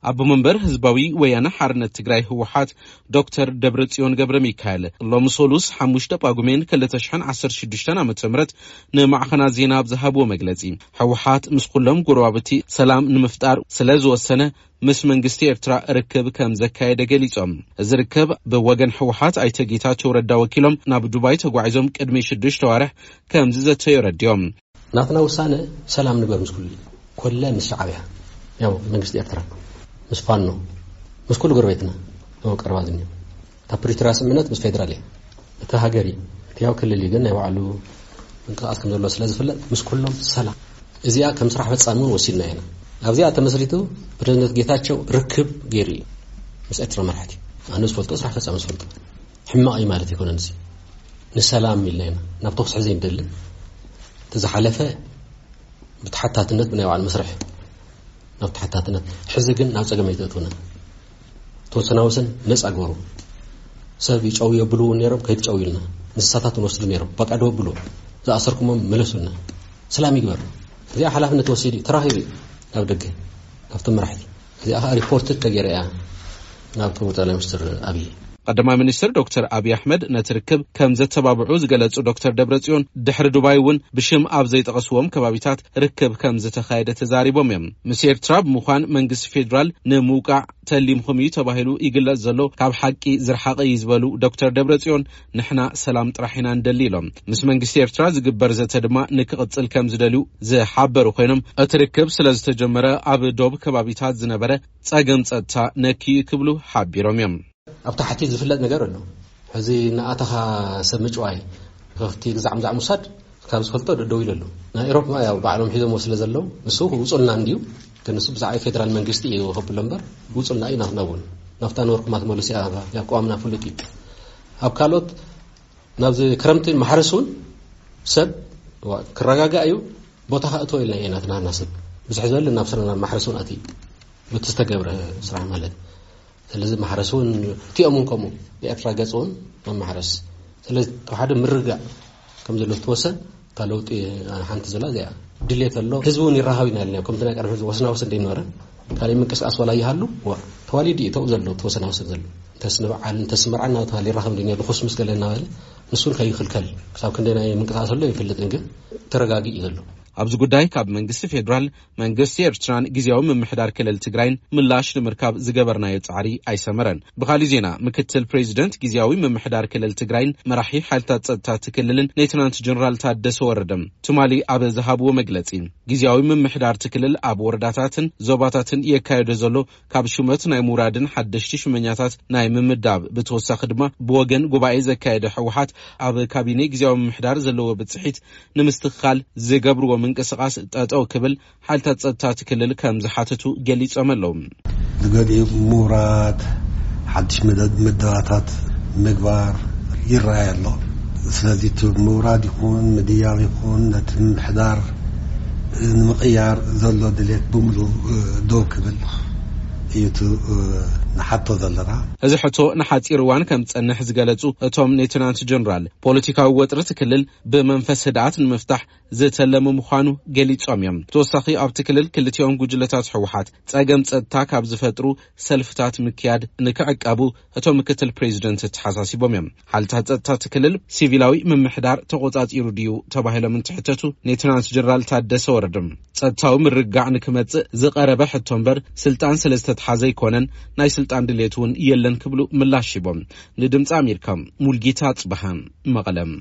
ኣቦ መንበር ህዝባዊ ወያነ ሓርነት ትግራይ ህወሓት ዶክተር ደብረጽዮን ገብረ ሚካኤል ሎሚ ሰሉስ ሓሙሽተ ጳጉሜን ክልተ ሽሕን ዓሰርተ ሽዱሽተን ዓመተ ምህረት ንማዕኸናት ዜና ኣብ ዝሃብዎ መግለጺ፣ ህወሓት ምስ ኩሎም ጎረባብቲ ሰላም ንምፍጣር ስለ ዝወሰነ ምስ መንግስቲ ኤርትራ ርክብ ከም ዘካየደ ገሊጾም። እዚ ርክብ ብወገን ህወሓት ኣይተ ጌታቸው ረዳ ወኪሎም ናብ ዱባይ ተጓዒዞም ቅድሚ ሽዱሽተ ዋርሕ ከም ዝዘተዩ ረዲዮም። ናትና ውሳነ ሰላም ንግበር ምስ ኩሉ፣ ኮለ ምስ ሻዕብያ፣ ያው መንግስቲ ኤርትራ፣ ምስ ፋኖ፣ ምስ ኩሉ ጎረቤትና፣ ያው ቀረባ ዝኒኦ። እታ ፕሪቶርያ ስምምነት ምስ ፌደራል እያ። እቲ ሃገር እዩ። እቲ ያው ክልል እዩ፣ ግን ናይ ባዕሉ ምንቅስቃስ ከም ዘሎ ስለ ዝፍለጥ፣ ምስ ኩሎም ሰላም። እዚኣ ከም ስራሕ ፈጻሚ እውን ወሲድና ኢና። ኣብዚኣ ተመስሪቱ ፕሬዝደንት ጌታቸው ርክብ ገይሩ እዩ ምስ ኤርትራ መራሕቲ። ኣነ ዝፈልጦ ስራሕ ፈጻሚ ዝፈልጦ። ሕማቕ እዩ ማለት ኣይኮነን። እዚ ንሰላም ኢልና ኢና ናብ ተኹሲ ሕዘ ንደሊ። እቲ ዝሓለፈ ብተሓታትነት ብናይ ባዕሉ መስርሕ ናብ ተሓታትነት፣ ሕዚ ግን ናብ ጸገም ኣይተእትውና። ተወሰና ወሰን ነጻ ግበሩ። ሰብ ይጨው የብሉ እውን ነይሮም፣ ከይትጨው ኢልና። እንስሳታት ንወስዱ ነይሮም፣ በቃ ደው ብሉ። ዝኣሰርኩሞም መለሱልና። ሰላም ይግበር። እዚኣ ሓላፍነት ወሲዱ እዩ፣ ተራኺቡ እዩ ናብ ደገ፣ ካብቶም መራሕቲ። እዚኣ ኸኣ ሪፖርት ተገይራ እያ ናብ ክቡር ጠቅላይ ሚኒስትር ኣብይ። ቀዳማይ ሚኒስትር ዶክተር ኣብይ ኣሕመድ ነቲ ርክብ ከም ዘተባብዑ ዝገለጹ ዶክተር ደብረጽዮን፣ ድሕሪ ዱባይ እውን ብሽም ኣብ ዘይጠቐስዎም ከባቢታት ርክብ ከም ዝተኻየደ ተዛሪቦም እዮም። ምስ ኤርትራ ብምዃን መንግስቲ ፌዴራል ንምውቃዕ ተሊምኹም እዩ ተባሂሉ ይግለጽ ዘሎ ካብ ሓቂ ዝረሓቐ እዩ ዝበሉ ዶክተር ደብረጽዮን፣ ንሕና ሰላም ጥራሕ ኢና ንደሊ ኢሎም። ምስ መንግስቲ ኤርትራ ዝግበር ዘተ ድማ ንክቕጽል ከም ዝደልዩ ዝሓበሩ ኮይኖም፣ እቲ ርክብ ስለ ዝተጀመረ ኣብ ዶብ ከባቢታት ዝነበረ ጸገም ጸጥታ ነኪ እዩ ክብሉ ሓቢሮም እዮም። ኣብ ታሕቲ ዝፍለጥ ነገር ኣሎ። ሕዚ እናኣተኻ ሰብ ምጭዋይ፣ ከፍቲ ግዛዕ ምዛዕ ምውሳድ ካብ ዝፈልጦ ደደው ኢሉ ኣሎ። ናይ ኤሮፓ ያው ባዕሎም ሒዞምዎ ስለ ዘለዉ፣ ንሱ ውጹልና እንድዩ፣ ግን ንሱ ብዛዕባ ፌደራል መንግስቲ እዩ ከብሎ እምበር፣ ውጹልና እዩ ናትና እውን። ናፍታ ነበርኩማ ትመልስ እያ፣ ያው ቅዋምና ፍሉጥ እዩ። ኣብ ካልኦት ናብዚ ክረምቲ ማሕረስ እውን ሰብ ዋ-፣ ክረጋጋእ እዩ፣ ቦታ ከእትዎ ኢልና ኢና ናትና ሰብ። ብዝሕ ዝበለ ናብ ስራና ማሕረስ እውን ኣትዩ፣ በቲ ዝተገብረ ስራሕ ማለት። ስለዚ ማሕረስ እውን እቲኦም እውን ከምኡ ብኤርትራ ገጽ እውን ኣብ ማሕረስ። ስለዚ እቲ ሓደ ምርጋእ ከም ዘሎ ዝተወሰን እታ ለውጢ ሓንቲ ዘላ እዚኣ ድሌት ኣሎ። ህዝቢ እውን ይራኸብ ኢና ኢልና፣ ከምቲ ናይ ቀደም ህዝቢ ወስና ወስን ዘይነበረ ካልእ ምንቅስቃስ ዋላ ይሃሉ፣ ዋ፣ ተዋሊዱ እዩ ተው ዘሎ፣ ተወሰና ወስን ዘሎ። እንተስ ንበዓል፣ እንተስ መርዓ እናተባህለ ይራኸብ እንዲ ነይሩ፣ ርኹስ ምስ ገለ እናበለ፣ ንሱ እውን ከይኽልከል። ክሳብ ክንደይ ናይ ምንቅስቃስ ዘሎ ይፈልጥን፣ ግን ተረጋጊእ እዩ ዘሎ። ኣብዚ ጉዳይ ካብ መንግስቲ ፌዴራል መንግስቲ ኤርትራን ግዜያዊ ምምሕዳር ክልል ትግራይን ምላሽ ንምርካብ ዝገበርናዮ ጻዕሪ ኣይሰመረን። ብኻልእ ዜና፣ ምክትል ፕሬዚደንት ግዜያዊ ምምሕዳር ክልል ትግራይን መራሒ ሓይልታት ጸጥታ እቲ ክልልን ሌተናንት ጀነራል ታደሰ ወረደ ትማሊ ኣብ ዝሃብዎ መግለጺ፣ ግዜያዊ ምምሕዳር እቲ ክልል ኣብ ወረዳታትን ዞባታትን የካየዶ ዘሎ ካብ ሹመት ናይ ምውራድን ሓደሽቲ ሹመኛታት ናይ ምምዳብ፣ ብተወሳኺ ድማ ብወገን ጉባኤ ዘካየደ ህወሓት ኣብ ካቢኔ ግዜያዊ ምምሕዳር ዘለዎ ብጽሒት ንምስትኽኻል ዝገብርዎ ምንቅስቓስ ጠጠው ክብል ሓይልታት ጸጥታ እቲ ክልል ከም ዝሓተቱ ገሊጾም ኣለዉ። ዝገሊኡ ምውራድ፣ ሓድሽ መደ-፣ ምደባታት ምግባር ይረኣይ ኣሎ። ስለዚ እቲ ምውራድ ይኹን ምድያብ ይኹን ነቲ ምምሕዳር ንምቕያር ዘሎ ድሌት ብምሉእ ደው ክብል እዩ እቲ ንሓቶ ዘለና። እዚ ሕቶ ንሓጺር እዋን ከም ዝጸንሕ ዝገለጹ እቶም ሌተናንት ጀነራል፣ ፖለቲካዊ ወጥሪ እቲ ክልል ብመንፈስ ህድኣት ንምፍታሕ ዝተለመ ምዃኑ ገሊጾም እዮም። ብተወሳኺ ኣብቲ ክልል ክልቲኦም ጉጅለታት ህወሓት ጸገም ጸጥታ ካብ ዝፈጥሩ ሰልፍታት ምክያድ ንክዕቀቡ እቶም ምክትል ፕሬዚደንት ተሓሳሲቦም እዮም። ሓይልታት ጸጥታ እቲ ክልል ሲቪላዊ ምምሕዳር ተቖጻጺሩ ድዩ ተባሂሎም እንትሕተቱ፣ ሌተናንት ጀነራል ታደሰ ወረደ ጸጥታዊ ምርግጋዕ ንክመጽእ ዝቐረበ ሕቶ እምበር ስልጣን ስለ ዝተትሓዘ ኣይኮነን፣ ናይ ስልጣን ድሌት እውን የለን ክብሉ ምላሽ ሂቦም። ንድምፂ ኣሜሪካ ሙልጌታ ጽበሃ መቐለም።